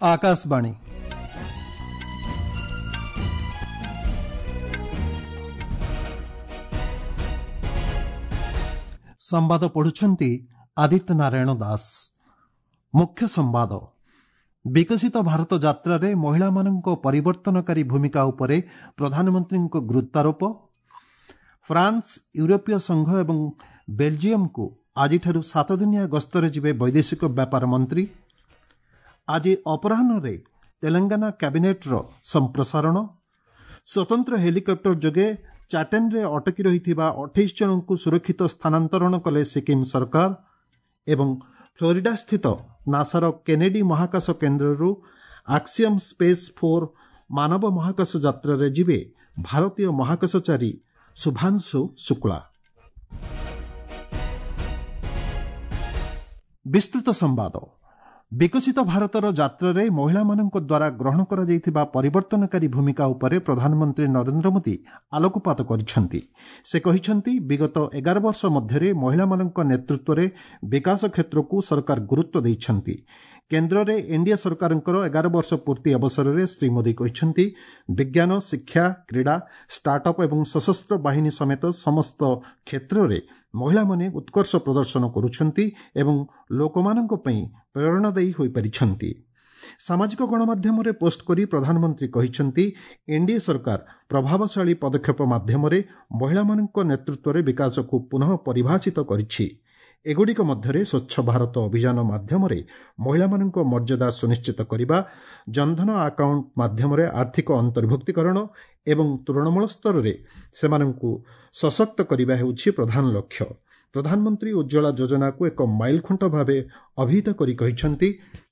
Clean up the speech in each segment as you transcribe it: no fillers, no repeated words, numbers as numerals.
ଆକାଶବାଣୀ। ସମ୍ବାଦ ପଢୁଛନ୍ତି ଆଦିତ୍ୟ ନାରାୟଣ ଦାସ। ମୁଖ୍ୟ ସମ୍ବାଦ। ବିକଶିତ ଭାରତ ଯାତ୍ରାରେ ମହିଳାମାନଙ୍କ ପରିବର୍ତ୍ତନକାରୀ ଭୂମିକା ଉପରେ ପ୍ରଧାନମନ୍ତ୍ରୀଙ୍କ ଗୁରୁତ୍ୱାରୋପ। ଫ୍ରାନ୍ସ, ୟୁରୋପୀୟ ସଂଘ ଏବଂ ବେଲଜିୟମକୁ ଆଜିଠାରୁ 7 ଦିନିଆ ଗସ୍ତରେ ଯିବେ ବୈଦେଶିକ ବ୍ୟାପାର ମନ୍ତ୍ରୀ। ଆଜି ଅପରାହ୍ନରେ ତେଲେଙ୍ଗାନା କ୍ୟାବିନେଟ୍ର ସମ୍ପ୍ରସାରଣ। ସ୍ୱତନ୍ତ୍ର ହେଲିକପ୍ଟର ଯୋଗେ ଚାଟେନ୍ରେ ଅଟକି ରହିଥିବା 28 ଜଣଙ୍କୁ ସୁରକ୍ଷିତ ସ୍ଥାନାନ୍ତରଣ କଲେ ସିକିମ୍ ସରକାର ଏବଂ ଫ୍ଲୋରିଡାସ୍ଥିତ ନାସାର କେନେଡି ମହାକାଶ କେନ୍ଦ୍ରରୁ ଆକ୍ସିୟମ୍ ସ୍ପେସ୍ 4 ମାନବ ମହାକାଶ ଯାତ୍ରାରେ ଯିବେ ଭାରତୀୟ ମହାକାଶଚାରୀ ଶୁଭାଂଶୁ ଶୁକ୍ଳା। ବିସ୍ତୃତ ସମ୍ବାଦ। ବିକଶିତ ଭାରତର ଯାତ୍ରାରେ ମହିଳାମାନଙ୍କ ଦ୍ୱାରା ଗ୍ରହଣ କରାଯାଇଥିବା ପରିବର୍ତ୍ତନକାରୀ ଭୂମିକା ଉପରେ ପ୍ରଧାନମନ୍ତ୍ରୀ ନରେନ୍ଦ୍ର ମୋଦି ଆଲୋକପାତ କରିଛନ୍ତି। ସେ କହିଛନ୍ତି, ବିଗତ 11 ବର୍ଷ ମଧ୍ୟରେ ମହିଳାମାନଙ୍କ ନେତୃତ୍ୱରେ ବିକାଶ କ୍ଷେତ୍ରକୁ ସରକାର ଗୁରୁତ୍ୱ ଦେଇଛନ୍ତି। କେନ୍ଦ୍ରରେ ଏନ୍ଡିଏ ସରକାରଙ୍କର 11 ବର୍ଷ ପୂର୍ତ୍ତି ଅବସରରେ ଶ୍ରୀ ମୋଦି କହିଛନ୍ତି, ବିଜ୍ଞାନ, ଶିକ୍ଷା, କ୍ରୀଡ଼ା, ଷ୍ଟାର୍ଟଅପ୍ ଏବଂ ସଶସ୍ତ୍ର ବାହିନୀ ସମେତ ସମସ୍ତ କ୍ଷେତ୍ରରେ ମହିଳାମାନେ ଉତ୍କର୍ଷ ପ୍ରଦର୍ଶନ କରୁଛନ୍ତି ଏବଂ ଲୋକମାନଙ୍କ ପାଇଁ ପ୍ରେରଣାଦାୟୀ ହୋଇପାରିଛନ୍ତି। ସାମାଜିକ ଗଣମାଧ୍ୟମରେ ପୋଷ୍ଟ କରି ପ୍ରଧାନମନ୍ତ୍ରୀ କହିଛନ୍ତି, ଏନ୍ଡିଏ ସରକାର ପ୍ରଭାବଶାଳୀ ପଦକ୍ଷେପ ମାଧ୍ୟମରେ ମହିଳାମାନଙ୍କ ନେତୃତ୍ୱରେ ବିକାଶକୁ ପୁନଃ ପରିଭାଷିତ କରିଛି। ଏଗୁଡ଼ିକ ମଧ୍ୟରେ ସ୍ୱଚ୍ଛ ଭାରତ ଅଭିଯାନ ମାଧ୍ୟମରେ ମହିଳାମାନଙ୍କ ମର୍ଯ୍ୟାଦା ସୁନିଶ୍ଚିତ କରିବା, ଜନଧନ ଆକାଉଣ୍ଟ ମାଧ୍ୟମରେ ଆର୍ଥିକ ଅନ୍ତର୍ଭୁକ୍ତୀକରଣ ଏବଂ ତୃଣମୂଳ ସ୍ତରରେ ସେମାନଙ୍କୁ ସଶକ୍ତ କରିବା ହେଉଛି ପ୍ରଧାନ ଲକ୍ଷ୍ୟ। ପ୍ରଧାନମନ୍ତ୍ରୀ ଉଜ୍ଜ୍ୱଳା ଯୋଜନାକୁ ଏକ ମାଇଲଖୁଣ୍ଟ ଭାବେ ଅଭିହିତ କରି କହିଛନ୍ତି,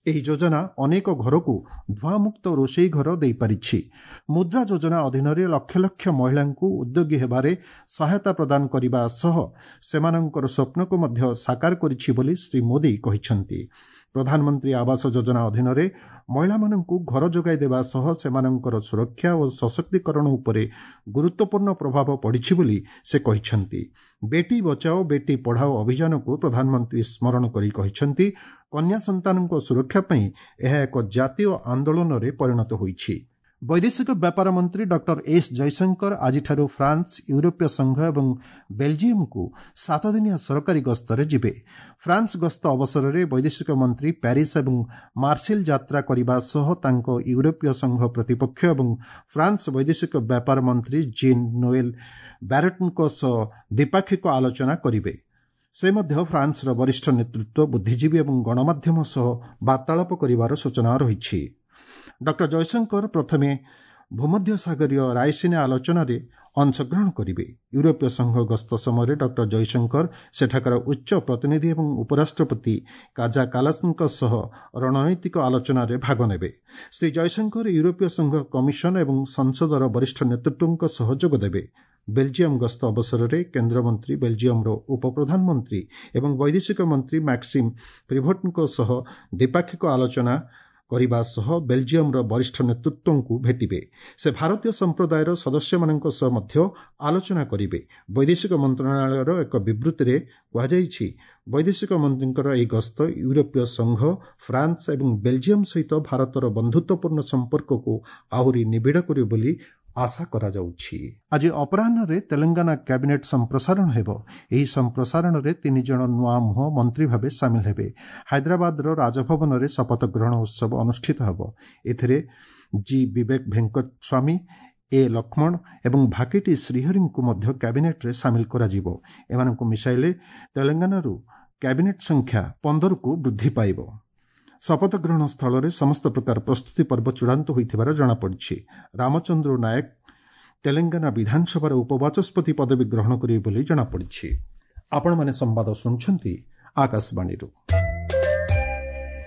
ଏହି ଯୋଜନା ଅନେକ ଘରକୁ ଧୂଆଁମୁକ୍ତ ରୋଷେଇ ଘର ଦେଇପାରିଛି। ମୁଦ୍ରା ଯୋଜନା ଅଧୀନରେ ଲକ୍ଷ ଲକ୍ଷ ମହିଳାଙ୍କୁ ଉଦ୍ୟୋଗୀ ହେବାରେ ସହାୟତା ପ୍ରଦାନ କରିବା ସହ ସେମାନଙ୍କର ସ୍ୱପ୍ନକୁ ମଧ୍ୟ ସାକାର କରିଛି ବୋଲି ଶ୍ରୀ ମୋଦି କହିଛନ୍ତି। ପ୍ରଧାନମନ୍ତ୍ରୀ ଆବାସ ଯୋଜନା ଅଧୀନରେ ମହିଳାମାନଙ୍କୁ ଘର ଯୋଗାଇ ଦେବା ସହ ସେମାନଙ୍କର ସୁରକ୍ଷା ଓ ସଶକ୍ତିକରଣ ଉପରେ ଗୁରୁତ୍ୱପୂର୍ଣ୍ଣ ପ୍ରଭାବ ପଡ଼ିଛି ବୋଲି ସେ କହିଛନ୍ତି। ବେଟି ବଚାଓ ବେଟି ପଢ଼ାଓ ଅଭିଯାନକୁ ପ୍ରଧାନମନ୍ତ୍ରୀ ସ୍ମରଣ କରି କହିଛନ୍ତି, କନ୍ୟା ସନ୍ତାନଙ୍କ ସୁରକ୍ଷା ପାଇଁ ଏହା ଏକ ଜାତୀୟ ଆନ୍ଦୋଳନରେ ପରିଣତ ହୋଇଛି। ବୈଦେଶିକ ବ୍ୟାପାର ମନ୍ତ୍ରୀ ଡକ୍ଟର ଏସ୍ ଜୟଶଙ୍କର ଆଜିଠାରୁ ଫ୍ରାନ୍ସ, ୟୁରୋପୀୟ ସଂଘ ଏବଂ ବେଲଜିୟମକୁ 7 ଦିନିଆ ସରକାରୀ ଗସ୍ତରେ ଯିବେ। ଫ୍ରାନ୍ସ ଗସ୍ତ ଅବସରରେ ବୈଦେଶିକ ମନ୍ତ୍ରୀ ପ୍ୟାରିସ୍ ଏବଂ ମାର୍ସିଲ ଯାତ୍ରା କରିବା ସହ ତାଙ୍କ ୟୁରୋପୀୟ ସଂଘ ପ୍ରତିପକ୍ଷ ଏବଂ ଫ୍ରାନ୍ସ ବୈଦେଶିକ ବ୍ୟାପାର ମନ୍ତ୍ରୀ ଜିନ୍ ନୋଏଲ୍ ବ୍ୟାରଟଙ୍କ ସହ ଦ୍ୱିପାକ୍ଷିକ ଆଲୋଚନା କରିବେ। ସେ ମଧ୍ୟ ଫ୍ରାନ୍ସର ବରିଷ୍ଠ ନେତୃତ୍ୱ, ବୁଦ୍ଧିଜୀବୀ ଏବଂ ଗଣମାଧ୍ୟମ ସହ ବାର୍ତ୍ତାଳାପ କରିବାର ସୂଚନା ରହିଛି। ଡକ୍ଟର ଜୟଶଙ୍କର ପ୍ରଥମେ ଭୂମଧ୍ୟସାଗରୀୟ ରାଇସିନା ଆଲୋଚନାରେ ଅଂଶଗ୍ରହଣ କରିବେ। ୟୁରୋପୀୟ ସଂଘ ଗସ୍ତ ସମୟରେ ଡକ୍ଟର ଜୟଶଙ୍କର ସେଠାକାର ଉଚ୍ଚ ପ୍ରତିନିଧି ଏବଂ ଉପରାଷ୍ଟ୍ରପତି କାଜା କାଲାସଙ୍କ ସହ ରଣନୈତିକ ଆଲୋଚନାରେ ଭାଗ ନେବେ। ଶ୍ରୀ ଜୟଶଙ୍କର ୟୁରୋପୀୟ ସଂଘ କମିଶନ ଏବଂ ସଂସଦର ବରିଷ୍ଠ ନେତୃତ୍ୱଙ୍କ ସହ ଯୋଗଦେବେ। ବେଲଜିୟମ ଗସ୍ତ ଅବସରରେ କେନ୍ଦ୍ରମନ୍ତ୍ରୀ ବେଲଜିୟମର ଉପପ୍ରଧାନମନ୍ତ୍ରୀ ଏବଂ ବୈଦେଶିକ ମନ୍ତ୍ରୀ ମ୍ୟାକ୍ସିମ୍ ପ୍ରିଭୋଟଙ୍କ ସହ ଦ୍ୱିପାକ୍ଷିକ ଆଲୋଚନା କରିବା ସହ ବେଲଜିୟମର ବରିଷ୍ଠ ନେତୃତ୍ୱଙ୍କୁ ଭେଟିବେ। ସେ ଭାରତୀୟ ସମ୍ପ୍ରଦାୟର ସଦସ୍ୟମାନଙ୍କ ସହ ମଧ୍ୟ ଆଲୋଚନା କରିବେ। ବୈଦେଶିକ ମନ୍ତ୍ରଣାଳୟର ଏକ ବିବୃତ୍ତିରେ କୁହାଯାଇଛି, ବୈଦେଶିକ ମନ୍ତ୍ରୀଙ୍କର ଏହି ଗସ୍ତ ୟୁରୋପୀୟ ସଂଘ, ଫ୍ରାନ୍ସ ଏବଂ ବେଲଜିୟମ ସହିତ ଭାରତର ବନ୍ଧୁତ୍ୱପୂର୍ଣ୍ଣ ସମ୍ପର୍କକୁ ଆହୁରି ନିବିଡ଼ କରିବ ବୋଲି ଆଶା କରାଯାଉଛି। ଆଜି ଅପରାହ୍ନରେ ତେଲେଙ୍ଗାନା କ୍ୟାବିନେଟ୍ ସମ୍ପ୍ରସାରଣ ହେବ। ଏହି ସମ୍ପ୍ରସାରଣରେ ତିନି ଜଣ ନୂଆ ମୁହଁ ମନ୍ତ୍ରୀ ଭାବେ ସାମିଲ ହେବେ। ହାଇଦ୍ରାବାଦର ରାଜଭବନରେ ଶପଥ ଗ୍ରହଣ ଉତ୍ସବ ଅନୁଷ୍ଠିତ ହେବ। ଏଥିରେ ଜି ବିବେକ ଭେଙ୍କଟ ସ୍ୱାମୀ, ଏ ଲକ୍ଷ୍ମଣ ଏବଂ ଭାକିଟି ଶ୍ରୀହରିଙ୍କୁ ମଧ୍ୟ କ୍ୟାବିନେଟ୍ରେ ସାମିଲ କରାଯିବ। ଏମାନଙ୍କୁ ମିଶାଇଲେ ତେଲେଙ୍ଗାନାରୁ କ୍ୟାବିନେଟ୍ ସଂଖ୍ୟା 15କୁ ବୃଦ୍ଧି ପାଇବ। ଶପଥ ଗ୍ରହଣ ସ୍ଥଳରେ ସମସ୍ତ ପ୍ରକାର ପ୍ରସ୍ତୁତି ପର୍ବ ଚୂଡ଼ାନ୍ତ ହୋଇଥିବାର ଜଣାପଡ଼ିଛି। ରାମଚନ୍ଦ୍ର ନାୟକ ତେଲେଙ୍ଗାନା ବିଧାନସଭାର ଉପବାଚସ୍ପତି ପଦବୀ ଗ୍ରହଣ କରିବେ ବୋଲି ଜଣାପଡ଼ିଛି। ଆପଣମାନେ ସମ୍ବାଦ ଶୁଣୁଛନ୍ତି ଆକାଶବାଣୀରୁ।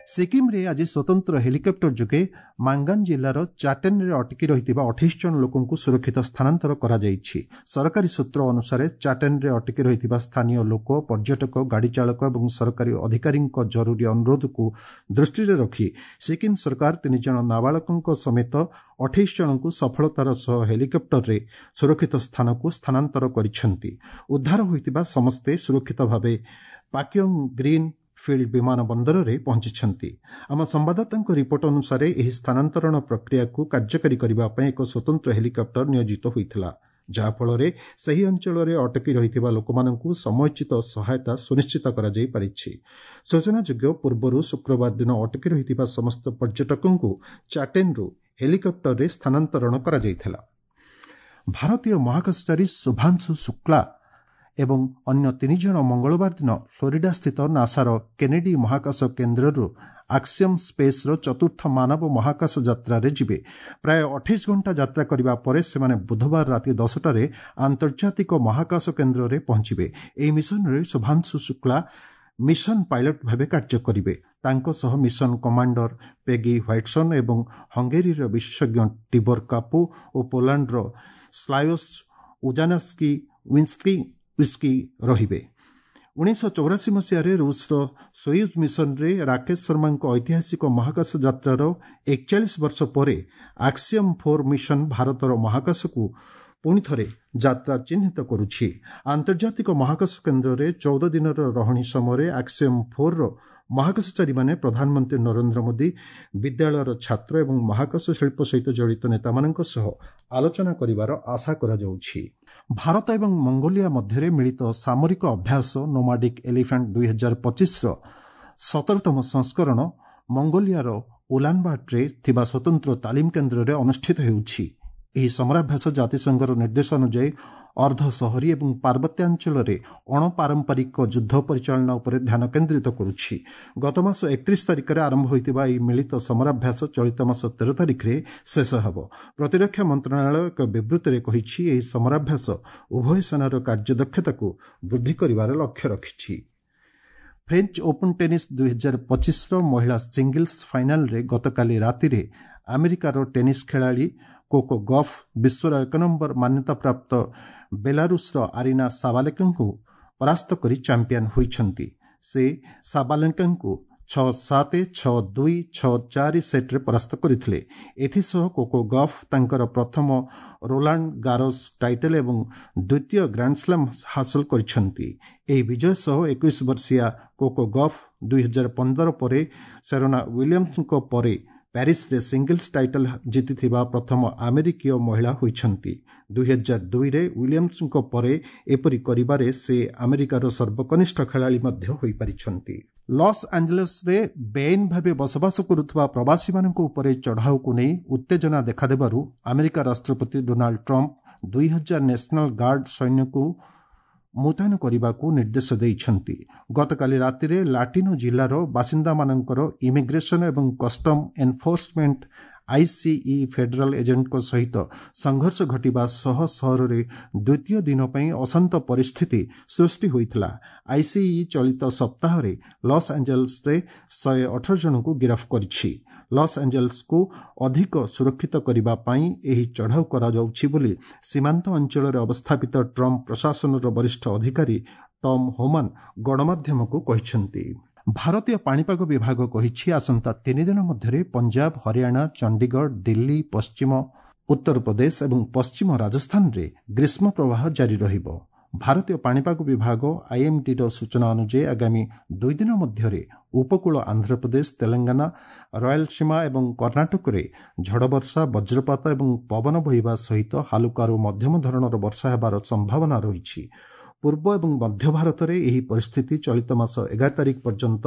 ସିକିମ୍ରେ ଆଜି ସ୍ୱତନ୍ତ୍ର ହେଲିକପ୍ଟର ଯୋଗେ ମାଙ୍ଗାନ ଜିଲ୍ଲାର ଚାଟେନ୍ରେ ଅଟକି ରହିଥିବା 28 ଜଣ ଲୋକଙ୍କୁ ସୁରକ୍ଷିତ ସ୍ଥାନାନ୍ତର କରାଯାଇଛି। ସରକାରୀ ସୂତ୍ର ଅନୁସାରେ, ଚାଟେନ୍ରେ ଅଟକି ରହିଥିବା ସ୍ଥାନୀୟ ଲୋକ, ପର୍ଯ୍ୟଟକ, ଗାଡ଼ି ଚାଳକ ଏବଂ ସରକାରୀ ଅଧିକାରୀଙ୍କ ଜରୁରୀ ଅନୁରୋଧକୁ ଦୃଷ୍ଟିରେ ରଖି ସିକିମ୍ ସରକାର ତିନି ଜଣ ନାବାଳକଙ୍କ ସମେତ 28 ଜଣଙ୍କୁ ସଫଳତାର ସହ ହେଲିକପ୍ଟରରେ ସୁରକ୍ଷିତ ସ୍ଥାନକୁ ସ୍ଥାନାନ୍ତର କରିଛନ୍ତି। ଉଦ୍ଧାର ହୋଇଥିବା ସମସ୍ତେ ସୁରକ୍ଷିତ ଭାବେ ପାକ୍ୟଙ୍ଗ ଗ୍ରୀନ୍ ଫିଲ୍ଡ ବିମାନ ବନ୍ଦରରେ ପହଞ୍ଚିଛନ୍ତି। ଆମ ସମ୍ବାଦଦାତାଙ୍କ ରିପୋର୍ଟ ଅନୁସାରେ ଏହି ସ୍ଥାନାନ୍ତରଣ ପ୍ରକ୍ରିୟାକୁ କାର୍ଯ୍ୟକାରୀ କରିବା ପାଇଁ ଏକ ସ୍ୱତନ୍ତ୍ର ହେଲିକପ୍ଟର ନିୟୋଜିତ ହୋଇଥିଲା, ଯାହାଫଳରେ ସେହି ଅଞ୍ଚଳରେ ଅଟକି ରହିଥିବା ଲୋକମାନଙ୍କୁ ସମୟୋଚିତ ସହାୟତା ସୁନିଶ୍ଚିତ କରାଯାଇପାରିଛି। ସୂଚନାଯୋଗ୍ୟ, ପୂର୍ବରୁ ଶୁକ୍ରବାର ଦିନ ଅଟକି ରହିଥିବା ସମସ୍ତ ପର୍ଯ୍ୟଟକଙ୍କୁ ଚାଟେନ୍ରୁ ହେଲିକପ୍ଟରରେ ସ୍ଥାନାନ୍ତରଣ କରାଯାଇଥିଲା। ଭାରତୀୟ ମହାକାଶଚାରୀ ଶୁଭାଂଶୁ ଶୁକ୍ଲା ଏବଂ ଅନ୍ୟ 3 ଜଣ ମଙ୍ଗଳବାର ଦିନ ଫ୍ଲୋରିଡାସ୍ଥିତ ନାସାର କେନେଡି ମହାକାଶ କେନ୍ଦ୍ରରୁ ଆକ୍ସିୟମ୍ ସ୍ପେସ୍ର ଚତୁର୍ଥ ମାନବ ମହାକାଶ ଯାତ୍ରାରେ ଯିବେ। ପ୍ରାୟ 28 ଘଣ୍ଟା ଯାତ୍ରା କରିବା ପରେ ସେମାନେ ବୁଧବାର ରାତି 10ଟାରେ ଆନ୍ତର୍ଜାତିକ ମହାକାଶ କେନ୍ଦ୍ରରେ ପହଞ୍ଚିବେ। ଏହି ମିଶନରେ ଶୁଭାଂଶୁ ଶୁକ୍ଲା ମିଶନ ପାଇଲଟ ଭାବେ କାର୍ଯ୍ୟ କରିବେ। ତାଙ୍କ ସହ ମିଶନ କମାଣ୍ଡର ପେଗି ହ୍ୱାଇଟ୍ସନ୍ ଏବଂ ହଙ୍ଗେରୀର ବିଶେଷଜ୍ଞ ଟିବର କାପୁ ଓ ପୋଲାଣ୍ଡର ସ୍ଲାୟୋସ୍ ଉଜାନାସ୍କି ୱିସ୍କି ରହିବେ। 1984 ମସିହାରେ ରୁଷର ସୋୟୁଜ୍ ମିଶନରେ ରାକେଶ ଶର୍ମାଙ୍କ ଐତିହାସିକ ମହାକାଶ ଯାତ୍ରାର 41 ବର୍ଷ ପରେ ଆକ୍ସିୟମ୍ 4 ମିଶନ ଭାରତର ମହାକାଶକୁ ପୁଣି ଥରେ ଯାତ୍ରା ଚିହ୍ନିତ କରୁଛି। ଆନ୍ତର୍ଜାତିକ ମହାକାଶ କେନ୍ଦ୍ରରେ 14 ଦିନର ରହଣି ସମୟରେ ଆକ୍ସିୟମ୍ 4ର ମହାକାଶଚାରୀମାନେ ପ୍ରଧାନମନ୍ତ୍ରୀ ନରେନ୍ଦ୍ର ମୋଦି, ବିଦ୍ୟାଳୟର ଛାତ୍ର ଏବଂ ମହାକାଶ ଶିଳ୍ପ ସହିତ ଜଡ଼ିତ ନେତାମାନଙ୍କ ସହ ଆଲୋଚନା କରିବାର ଆଶା କରାଯାଉଛି। ଭାରତ ଏବଂ ମଙ୍ଗୋଲିଆ ମଧ୍ୟରେ ମିଳିତ ସାମରିକ ଅଭ୍ୟାସ ନୋମାଡିକ୍ ଏଲିଫାଣ୍ଟ 2025ର 17ତମ ସଂସ୍କରଣ ମଙ୍ଗୋଲିଆର ଉଲାନବାଟରେ ଥିବା ସ୍ୱତନ୍ତ୍ର ତାଲିମ କେନ୍ଦ୍ରରେ ଅନୁଷ୍ଠିତ ହେଉଛି। ଏହି ସମରାଭ୍ୟାସ ଜାତିସଂଘର ନିର୍ଦ୍ଦେଶ ଅନୁଯାୟୀ ଅର୍ଦ୍ଧ ସହରୀ ଏବଂ ପାର୍ବତ୍ୟାଞ୍ଚଳରେ ଅଣପାରମ୍ପରିକ ଯୁଦ୍ଧ ପରିଚାଳନା ଉପରେ ଧ୍ୟାନ କେନ୍ଦ୍ରିତ କରୁଛି। ଗତମାସ 31 ତାରିଖରେ ଆରମ୍ଭ ହୋଇଥିବା ଏହି ମିଳିତ ସମରାଭ୍ୟାସ ଚଳିତ ମାସ 13 ତାରିଖରେ ଶେଷ ହେବ। ପ୍ରତିରକ୍ଷା ମନ୍ତ୍ରଣାଳୟ ଏକ ବିବୃତ୍ତିରେ କହିଛି, ଏହି ସମରାଭ୍ୟାସ ଉଭୟ ସେନାର କାର୍ଯ୍ୟଦକ୍ଷତାକୁ ବୃଦ୍ଧି କରିବାର ଲକ୍ଷ୍ୟ ରଖିଛି। ଫ୍ରେଞ୍ଚ ଓପନ୍ ଟେନିସ୍ 2025ର ମହିଳା ସିଙ୍ଗଲ୍ସ ଫାଇନାଲରେ ଗତକାଲି ରାତିରେ ଆମେରିକାର ଟେନିସ୍ ଖେଳାଳି କୋକୋ ଗଫ୍ ବିଶ୍ୱର 1 ନମ୍ବର ମାନ୍ୟତାପ୍ରାପ୍ତ ବେଲାରୁଷର ଆରିନା ସାବାଲେଙ୍କାଙ୍କୁ ପରାସ୍ତ କରି ଚାମ୍ପିୟନ ହୋଇଛନ୍ତି। ସେ ସାବାଲେଙ୍କାଙ୍କୁ 6-7, 6-2, 6-4 ସେଟ୍ରେ ପରାସ୍ତ କରିଥିଲେ। ଏଥିସହ କୋକୋ ଗଫ୍ ତାଙ୍କର ପ୍ରଥମ ରୋଲାଣ୍ଡ ଗାରୋସ୍ ଟାଇଟଲ୍ ଏବଂ ଦ୍ୱିତୀୟ ଗ୍ରାଣ୍ଡସ୍ଲାମ୍ ହାସଲ କରିଛନ୍ତି। ଏହି ବିଜୟ ସହ 21 ବର୍ଷୀୟା କୋକୋ ଗଫ୍ 2015 ପରେ ସେରେନା ୱିଲିୟମ୍ସଙ୍କ ପରେ ପ୍ୟାରିସରେ ସିଙ୍ଗଲ୍ସ ଟାଇଟଲ୍ ଜିତିଥିବା ପ୍ରଥମ ଆମେରିକୀୟ ମହିଳା ହୋଇଛନ୍ତି। 2002ରେ ୱିଲିୟମ୍ସଙ୍କ ପରେ ଏପରି କରିବାରେ ସେ ଆମେରିକାର ସର୍ବକନିଷ୍ଠ ଖେଳାଳି ମଧ୍ୟ ହୋଇପାରିଛନ୍ତି। ଲସ୍ ଆଞ୍ଜେଲସ୍ରେ ବେଆଇନ ଭାବେ ବସବାସ କରୁଥିବା ପ୍ରବାସୀମାନଙ୍କ ଉପରେ ଚଢ଼ାଉକୁ ନେଇ ଉତ୍ତେଜନା ଦେଖାଦେବାରୁ ଆମେରିକା ରାଷ୍ଟ୍ରପତି ଡୋନାଲ୍ଡ ଟ୍ରମ୍ପ 2000 ନ୍ୟାସନାଲ ଗାର୍ଡ ସୈନ୍ୟକୁ ମୁତୟନ କରିବାକୁ ନିର୍ଦ୍ଦେଶ ଦେଇଛନ୍ତି। ଗତକାଲି ରାତିରେ ଲାଟିନୋ ଜିଲ୍ଲାର ବାସିନ୍ଦାମାନଙ୍କର ଇମିଗ୍ରେସନ ଏବଂ କଷ୍ଟମ ଏନଫୋର୍ସମେଣ୍ଟ ଆଇସିଇ ଫେଡେରାଲ ଏଜେଣ୍ଟଙ୍କ ସହିତ ସଂଘର୍ଷ ଘଟିବା ସହ ସହରରେ ଦ୍ୱିତୀୟ ଦିନ ପାଇଁ ଅଶାନ୍ତ ପରିସ୍ଥିତି ସୃଷ୍ଟି ହୋଇଥିଲା। ଆଇସିଇ ଚଳିତ ସପ୍ତାହରେ ଲସ୍ ଆଞ୍ଜେଲସ୍ରେ 118 ଜଣଙ୍କୁ ଗିରଫ କରିଛି। ଲସ୍ ଆଞ୍ଜେଲସ୍କୁ ଅଧିକ ସୁରକ୍ଷିତ କରିବା ପାଇଁ ଏହି ଚଢ଼ାଉ କରାଯାଉଛି ବୋଲି ସୀମାନ୍ତ ଅଞ୍ଚଳରେ ଅବସ୍ଥାପିତ ଟ୍ରମ୍ପ ପ୍ରଶାସନର ବରିଷ୍ଠ ଅଧିକାରୀ ଟମ୍ ହୋମାନ ଗଣମାଧ୍ୟମକୁ କହିଛନ୍ତି। ଭାରତୀୟ ପାଣିପାଗ ବିଭାଗ କହିଛି, ଆସନ୍ତା 3 ଦିନ ମଧ୍ୟରେ ପଞ୍ଜାବ, ହରିୟାଣା, ଚଣ୍ଡିଗଡ଼, ଦିଲ୍ଲୀ, ପଶ୍ଚିମ ଉତ୍ତରପ୍ରଦେଶ ଏବଂ ପଶ୍ଚିମ ରାଜସ୍ଥାନରେ ଗ୍ରୀଷ୍ମ ପ୍ରବାହ ଜାରି ରହିବ। ଭାରତୀୟ ପାଣିପାଗ ବିଭାଗ ଆଇଏମ୍ଡିର ସୂଚନା ଅନୁଯାୟୀ ଆଗାମୀ 2 ଦିନ ମଧ୍ୟରେ ଉପକୂଳ ଆନ୍ଧ୍ରପ୍ରଦେଶ, ତେଲେଙ୍ଗାନା, ରୟାଲସୀମା ଏବଂ କର୍ଣ୍ଣାଟକରେ ଝଡ଼ବର୍ଷା, ବଜ୍ରପାତ ଏବଂ ପବନ ବହିବା ସହିତ ହାଲୁକାରୁ ମଧ୍ୟମ ଧରଣର ବର୍ଷା ହେବାର ସମ୍ଭାବନା ରହିଛି। ପୂର୍ବ ଏବଂ ମଧ୍ୟ ଭାରତରେ ଏହି ପରିସ୍ଥିତି ଚଳିତ ମାସ 11 ତାରିଖ ପର୍ଯ୍ୟନ୍ତ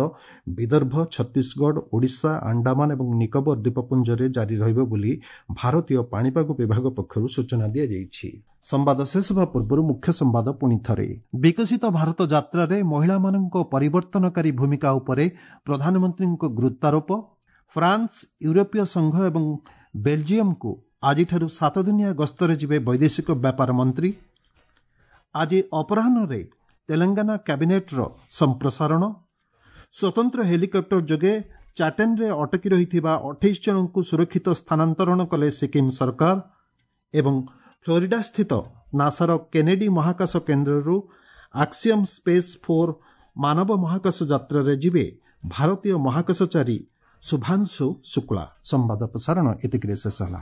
ବିଦର୍ଭ, ଛତିଶଗଡ଼, ଓଡ଼ିଶା, ଆଣ୍ଡାମାନ ଏବଂ ନିକୋବର ଦ୍ୱୀପପୁଞ୍ଜରେ ଜାରି ରହିବ ବୋଲି ଭାରତୀୟ ପାଣିପାଗ ବିଭାଗ ପକ୍ଷରୁ ସୂଚନା ଦିଆଯାଇଛି। ସମ୍ବାଦ ଶେଷ ହେବା ପୂର୍ବରୁ ମୁଖ୍ୟ ସମ୍ବାଦ ପୁଣି ଥରେ। ବିକଶିତ ଭାରତ ଯାତ୍ରାରେ ମହିଳାମାନଙ୍କ ପରିବର୍ତ୍ତନକାରୀ ଭୂମିକା ଉପରେ ପ୍ରଧାନମନ୍ତ୍ରୀଙ୍କ ଗୁରୁତ୍ୱାରୋପ। ଫ୍ରାନ୍ସ, ୟୁରୋପୀୟ ସଂଘ ଏବଂ ବେଲଜିୟମକୁ ଆଜିଠାରୁ 7 ଦିନିଆ ଗସ୍ତରେ ଯିବେ ବୈଦେଶିକ ବ୍ୟାପାର ମନ୍ତ୍ରୀ। ଆଜି ଅପରାହ୍ନରେ ତେଲେଙ୍ଗାନା କ୍ୟାବିନେଟ୍ର ସମ୍ପ୍ରସାରଣ। ସ୍ୱତନ୍ତ୍ର ହେଲିକପ୍ଟର ଯୋଗେ ଚାଟେନ୍ରେ ଅଟକି ରହିଥିବା 28 ଜଣଙ୍କୁ ସୁରକ୍ଷିତ ସ୍ଥାନାନ୍ତରଣ କଲେ ସିକିମ୍ ସରକାର। ଏବଂ ଫ୍ଲୋରିଡାସ୍ଥିତ ନାସାର କେନେଡି ମହାକାଶ କେନ୍ଦ୍ରରୁ ଆକ୍ସିୟମ୍ ସ୍ପେସ୍ 4 ମାନବ ମହାକାଶ ଯାତ୍ରାରେ ଯିବେ ଭାରତୀୟ ମହାକାଶଚାରୀ ଶୁଭାଂଶୁ ଶୁକ୍ଳା। ସମ୍ବାଦ ପ୍ରସାରଣ ଏତିକିରେ ଶେଷ ହେଲା।